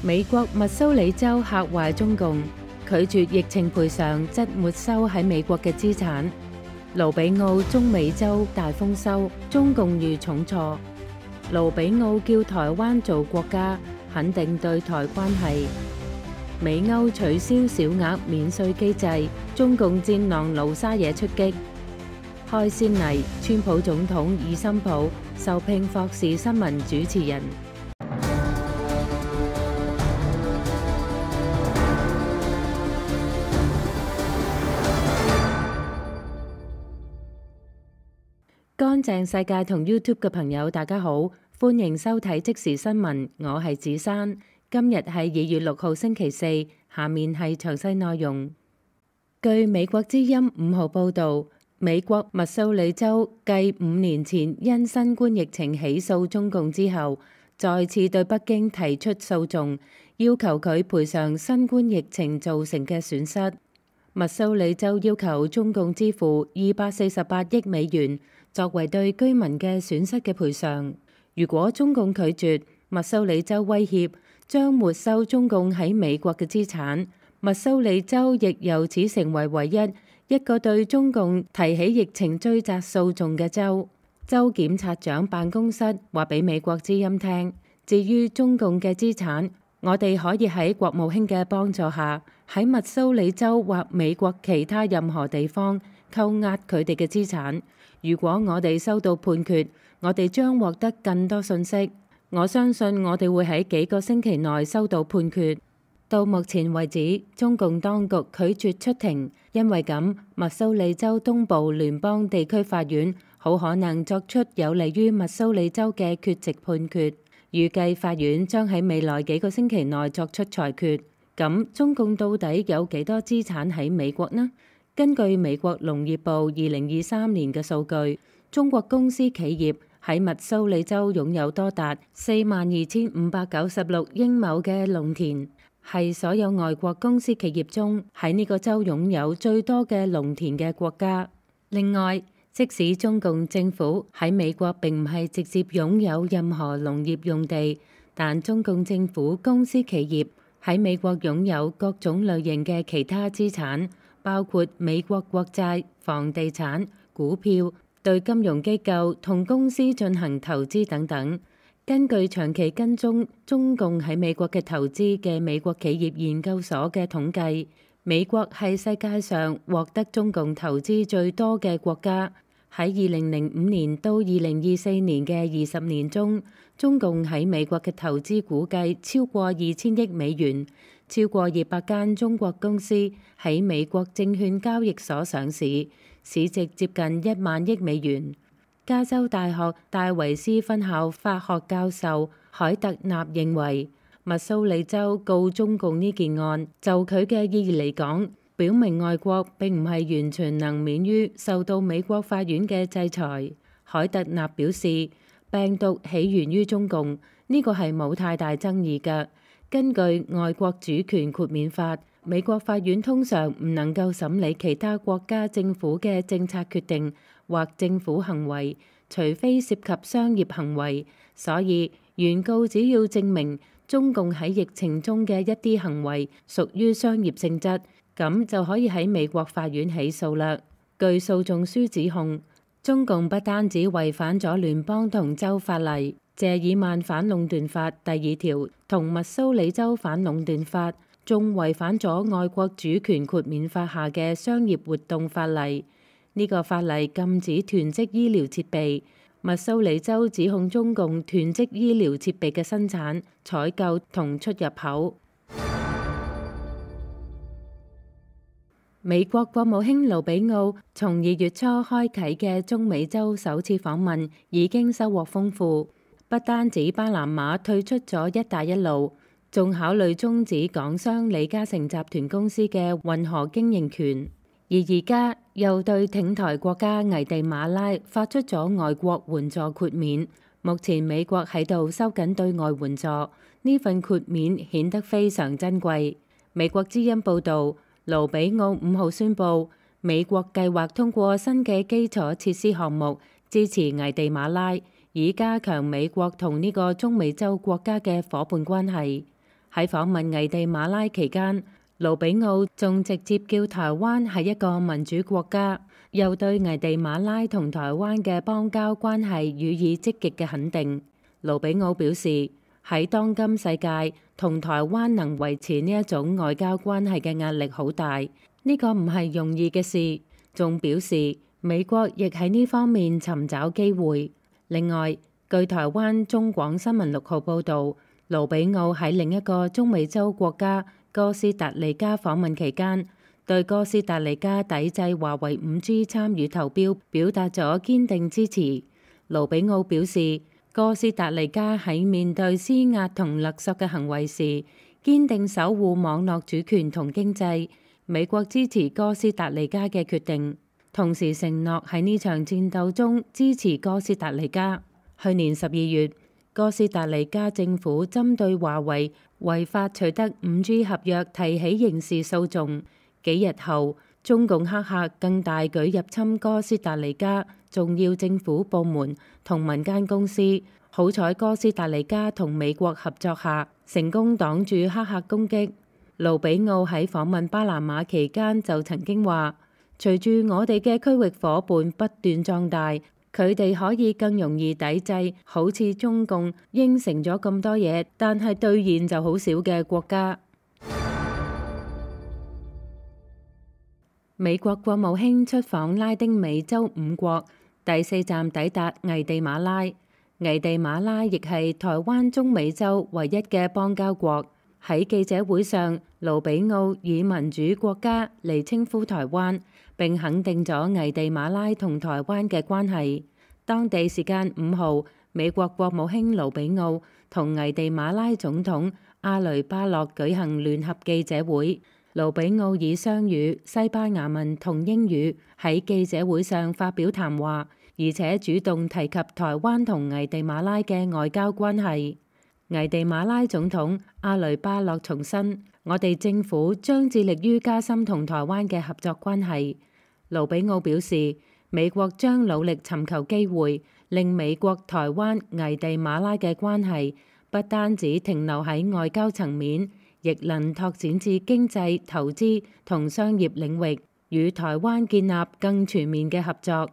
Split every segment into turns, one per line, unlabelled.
美國密蘇里州嚇壞中共，拒絕疫情賠償，則沒收喺美國嘅資產。盧比奧中美洲大豐收，中共遇重挫。盧比奧叫台灣做國家，肯定對台關係。美歐取消小額免稅機制，中共戰狼盧沙野出擊。開先例，川普總統以森普受聘霍士新聞主持人。乾淨世界同 YouTube 嘅朋友，大家好，歡迎收睇即時新聞，我係子珊。今日係2月6號星期四，下面係詳細內容。據美國之音5號報導，美國密蘇里州繼5年前因新冠疫情起訴中共之後，再次對北京提出訴訟，要求佢賠償新冠疫情造成嘅損失。密蘇里州要求中共支付248億美元作為對居民嘅損失嘅賠償。如果中共拒絕，密蘇里州威脅將沒收中共喺美國嘅資產。密蘇里州亦由此成為唯一個對中共提起疫情追責訴訟嘅州。州檢察長辦公室話俾美國之音聽，至於中共嘅資產，我哋可以喺國務卿嘅幫助下，喺密蘇里州或美國其他任何地方扣押佢哋嘅資產。如果我哋收到判決，我哋將獲得更多信息。我相信我哋會喺幾個星期內收到判決。到目前為止，中共當局拒絕出庭，因為咁，密蘇里州東部聯邦地區法院好可能作出有利於密蘇里州嘅缺席判決。預計法院將喺未來幾個星期內作出裁決。咁中共到底有幾多資產喺美國呢？根據美國農業部2023年嘅數據，中國公司企業喺密蘇里州擁有多達42,596英畝嘅農田，係所有外國公司企業中喺呢個州擁有最多嘅農田嘅國家。另外，即使中共政府喺美國並唔係直接擁有任何農業用地，但中共政府公司企業喺美國擁有各種類型嘅其他資產，包括美國國債、房地產、股票、對金融機構同公司進行投資等等。根據長期跟蹤中共喺美國嘅投資嘅美國企業研究所嘅統計，美國係世界上獲得中共投資最多嘅國家。喺2005年到2024年嘅20年中，中共喺美國嘅投資估計超過2000億美元，超過200間中國公司喺美國證券交易所上市，市值接近1萬億美元。加州大學戴維斯分校法學教授海特納認為，密蘇里州告中共呢件案，就佢嘅意義嚟講，表明外國並唔係完全能免於受到美國法院嘅制裁。海特納表示，病毒起源於中共，呢個係冇太大爭議嘅。根據外國主權豁免法，美國法院通常唔能夠審理其他國家政府嘅政策決定或政府行為，除非涉及商業行為。所以原告只要證明中共喺疫情中嘅一啲行為屬於商業性質，咁就可以喺美國法院起訴啦。據訴訟書指控，中共不單止違反咗聯邦同州法例，謝爾曼反壟斷法第2條同密蘇里州反壟斷法，仲違反咗外國主權豁免法下嘅商業活動法例。呢個法例禁止囤積醫療設備。密蘇里州指控中共囤積醫療設備嘅生產、採購同出入口。美國國務卿盧比奧從2月初開啟嘅中美洲首次訪問已經收穫豐富，不單止巴拿馬退出咗一帶一路，仲考慮終止港商李嘉誠集團公司嘅運河經營權，而家又對挺台國家危地馬拉發出咗外國援助豁免。目前美國喺度收緊對外援助，呢份豁免顯得非常珍貴。美國之音報導，盧比奧5號宣布，美國計劃通過新嘅基礎設施項目支持危地馬拉，以加強美國同呢個中美洲國家嘅夥伴關係。喺訪問危地馬拉期間，盧比奧仲直接叫台灣係一個民主國家，又對危地馬拉同台灣嘅邦交關係予以積極嘅肯定。盧比奧表示，喺當今世界，同台灣能維持呢一種外交關係嘅壓力好大，呢個唔係容易嘅事。仲表示美國亦喺呢方面尋找機會。另外，據台灣中廣新聞6號報導，盧比奧喺另一個中美洲國家哥斯達黎加訪問期間，對哥斯達黎加抵制華為5G 參與投標表達咗堅定支持。盧比奧表示，哥斯達黎加喺面對施壓同勒索嘅行為時，堅定守護網絡主權同經濟。美國支持哥斯達黎加嘅決定，同時承諾喺呢場戰鬥中支持哥斯達黎加。去年12月，哥斯達黎加政府針對華為違法取得5G 合約提起刑事訴訟。幾日後，中共黑客更大舉入侵哥斯達黎加重要政府部門同民間公司。好彩哥斯達黎加同美國合作下，成功擋住黑客攻擊。盧比奧喺訪問巴拿馬期間就曾經話，隨住我哋嘅區域夥伴不斷壯大，佢哋可以更容易抵制好似中共應承咗咁多嘢，但係兌現就好少嘅國家。美國國務卿出訪拉丁美洲5國，第4站抵達危地馬拉。危地馬拉亦係台灣中美洲唯一嘅邦交國。喺記者會上，盧比奧以民主國家嚟稱呼台灣，並肯定咗危地馬拉同台灣嘅關係。當地時間5號，美國國務卿盧比奧同危地馬拉總統阿雷巴洛舉行聯合記者會。盧比奧以雙語、西班牙文同英語喺記者會上發表談話，而且主動提及台灣同危地馬拉嘅外交關係。危地馬拉總統阿雷巴洛重申，我哋政府將致力於加深同台灣嘅合作關係。盧比奧表示，美國將努力尋求機會，令美國、台灣、危地馬拉嘅關係不單止停留喺外交層面，亦能拓展至經濟、投資同商業領域，與台灣建立更全面嘅合作。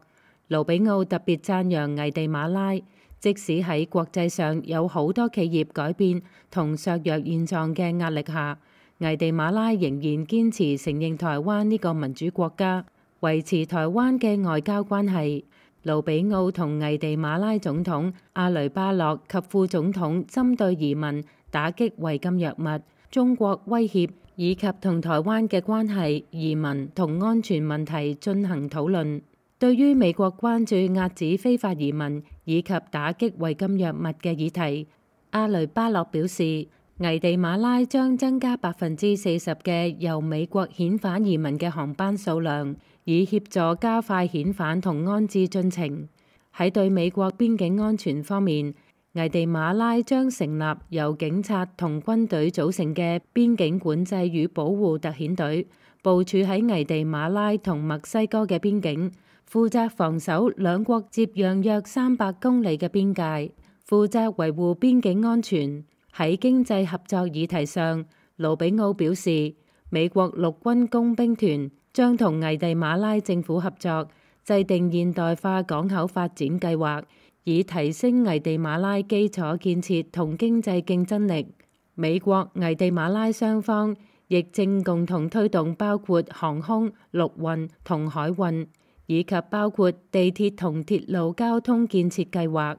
盧比奧特別讚揚危地馬拉，即使喺國際上有好多企業改變同削弱現狀嘅壓力下，危地馬拉仍然堅持承認台灣呢個民主國家，維持台灣嘅外交關係。盧比奧同危地馬拉總統阿雷巴洛及副總統針對移民、打擊違禁藥物、中國威脅以及同台灣嘅關係、移民同安全問題進行討論。對於美國關注遏止非法移民以及打擊違禁藥物嘅議題，阿雷巴洛表示，危地馬拉將增加40%嘅由美國遣返移民嘅航班數量，以協助加快遣返同安置進程。喺對美國邊境安全方面，危地馬拉將成立由警察同軍隊組成嘅邊境管制與保護特遣隊，部署喺危地馬拉同墨西哥嘅邊境，負責防守兩國接壤約300公里嘅邊界，負責維護邊境安全。喺經濟合作議題上，盧比奧表示，美國陸軍工兵團將同危地馬拉政府合作，制定現代化港口發展計劃，以提升危地馬拉基礎建設同經濟競爭力。美國、危地馬拉雙方亦正共同推動包括航空、陸運同海運，以及包括地鐵同鐵路交通建設計劃。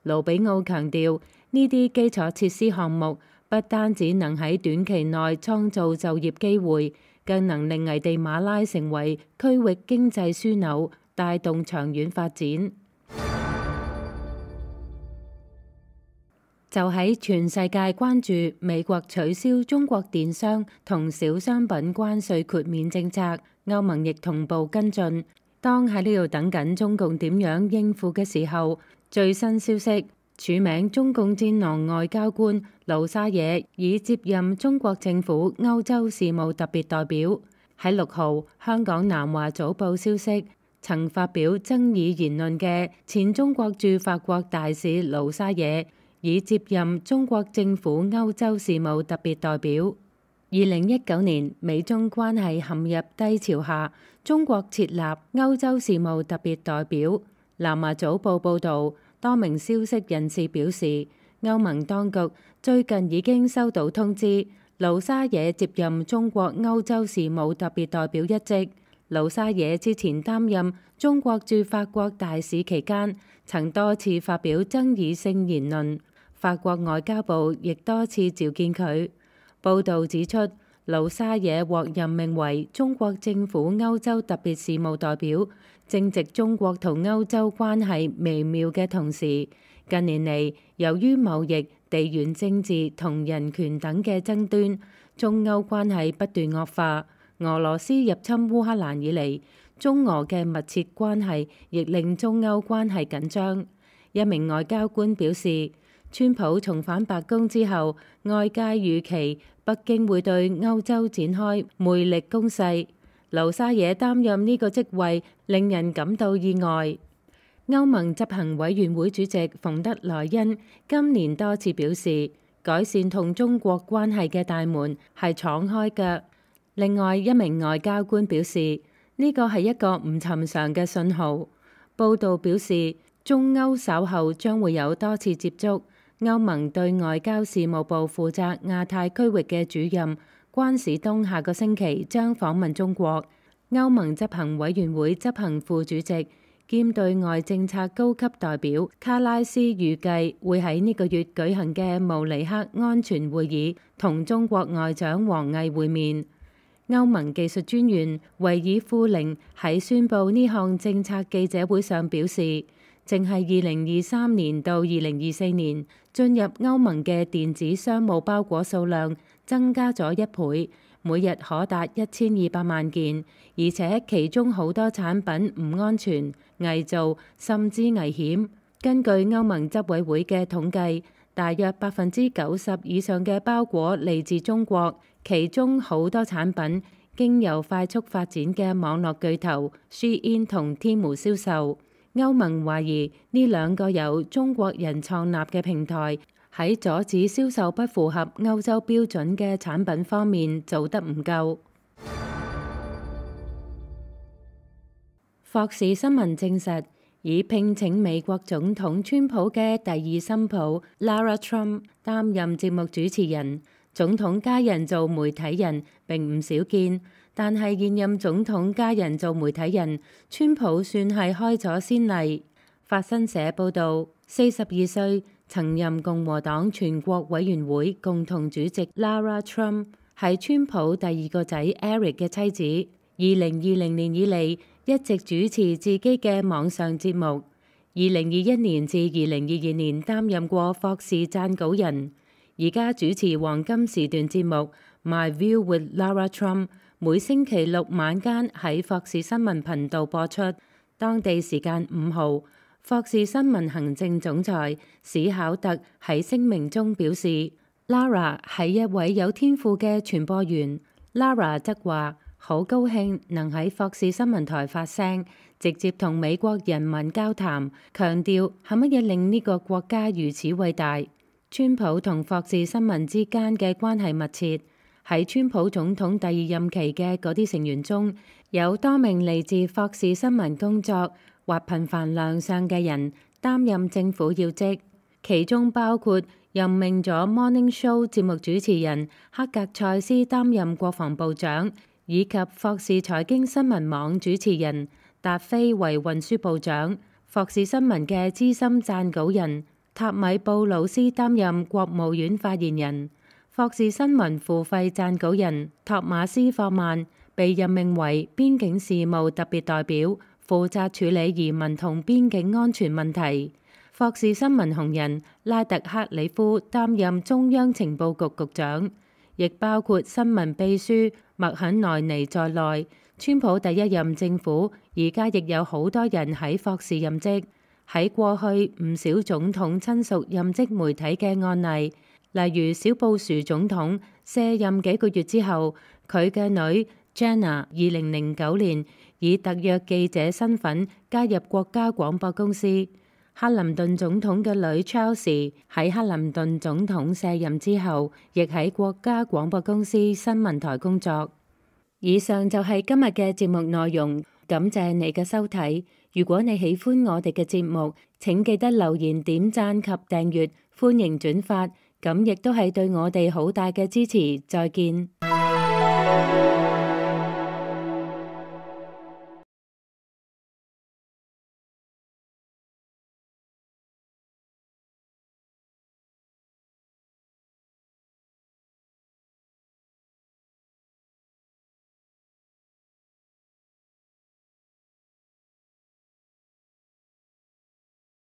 盧比奧強調，呢啲基礎設施項目不單只能喺短期內創造就業機會，更能令危地馬拉成為區域經濟樞紐，帶動長遠發展。就喺全世界關注美國取消中國電商同小商品關稅豁免政策，歐盟亦同步跟進。當喺呢度等緊中共點樣應付嘅時候，最新消息，署名中共戰狼外交官盧沙野已接任中國政府歐洲事務特別代表。喺6號，香港南華早報消息，曾發表爭議言論嘅前中國駐法國大使盧沙野以接任中國政府歐洲事務特別代表。2019年，美中關係陷入低潮下，中國設立歐洲事務特別代表。南華早報報導，多名消息人士表示，歐盟當局最近已經收到通知，盧沙野接任中國歐洲事務特別代表一職。盧沙野之前擔任中國駐法國大使期間，曾多次發表爭議性言論，法國外交部亦多次召見佢。報導指出，盧沙野獲任命為中國政府歐洲特別事務代表，正值中國同歐洲關係微妙嘅同時，近年嚟由於貿易、地緣政治同人權等嘅爭端，中歐關係不斷惡化。俄羅斯入侵烏克蘭以嚟，中俄嘅密切關係亦令中歐關係緊張。一名外交官表示，川普重返白宮之後，外界預期北京會對歐洲展開魅力攻勢。盧沙野擔任呢個職位令人感到意外。歐盟執行委員會主席馮德萊恩今年多次表示，改善同中國關係嘅大門係敞開嘅。另外一名外交官表示，呢個係一個唔尋常嘅信號。報道表示，中歐稍後將會有多次接觸。歐盟對外交事務部負責亞太區域嘅主任關史東下個星期將訪問中國。歐盟執行委員會執行副主席兼對外政策高級代表卡拉斯預計會喺呢個月舉行嘅慕尼黑安全會議同中國外長王毅會面。歐盟技術專員維爾富寧喺宣布呢項政策記者會上表示，淨係2023年到2024年進入歐盟嘅電子商務包裹數量增加咗1倍，每日可達1200萬件，而且其中好多產品唔安全、偽造甚至危險。根據歐盟執委會嘅統計，大約90%以上嘅包裹嚟自中國，其中好多產品經由快速發展嘅網絡巨頭 Shein 同 Temu 銷售。歐盟懷疑呢兩個由中國人創立嘅平台喺阻止銷售不符合歐洲標準嘅產品方面做得唔夠。霍士新聞證實，已聘請美國總統川普嘅第二新抱 Lara Trump 擔任節目主持人。總統家人做媒體人並唔少見，但係現任總統家人做媒體人，川普算係開咗先例。法新社報導，42歲曾任共和黨全國委員會共同主席 Lara Trump 係川普第二個仔 Eric 嘅妻子。2020年以嚟一直主持自己嘅網上節目。2021年至2022年擔任過霍士撰稿人。而家主持黃金時段節目 My View with Lara Trump， 每星期六晚間喺霍士新聞頻道播出。當地時間5號，霍士新聞行政總裁史考特喺聲明中表示 ，Lara 係一位有天賦嘅傳播員。Lara 則話好高興能喺霍士新聞台發聲，直接同美國人民交談，強調係乜嘢令呢個國家如此偉大。川普同霍士新聞之間嘅關係密切，喺川普總統第二任期嘅嗰啲成員中，有多名嚟自霍士新聞工作或頻繁亮相嘅人擔任政府要職，其中包括任命咗 Morning Show 節目主持人克格塞斯擔任國防部長，以及霍士財經新聞網主持人達菲為運輸部長，霍士新聞嘅資深撰稿人塔米布魯斯擔任國務院發言人。霍士新聞付費撰稿人托馬斯霍曼被任命為邊境事務特別代表，負責處理移民同邊境安全問題。霍士新聞紅人拉特克里夫擔任中央情報局局長，亦包括新聞秘書麥肯奈尼在內。川普第一任政府而家亦有好多人喺霍士任職。喺過去唔少總統親屬任職媒體嘅案例，例如小布殊總統卸任幾個月之後，佢嘅女 Jenna 2009年以特約記者身份加入國家廣播公司。克林頓總統嘅女 Chelsea 喺克林頓總統卸任之後，亦喺國家廣播公司新聞台工作。以上就係今日嘅節目內容，感謝你嘅收睇。如果你喜歡我哋嘅節目，請記得留言、點讚及訂閱，歡迎轉發，咁亦都係對我哋好大嘅支持。再見。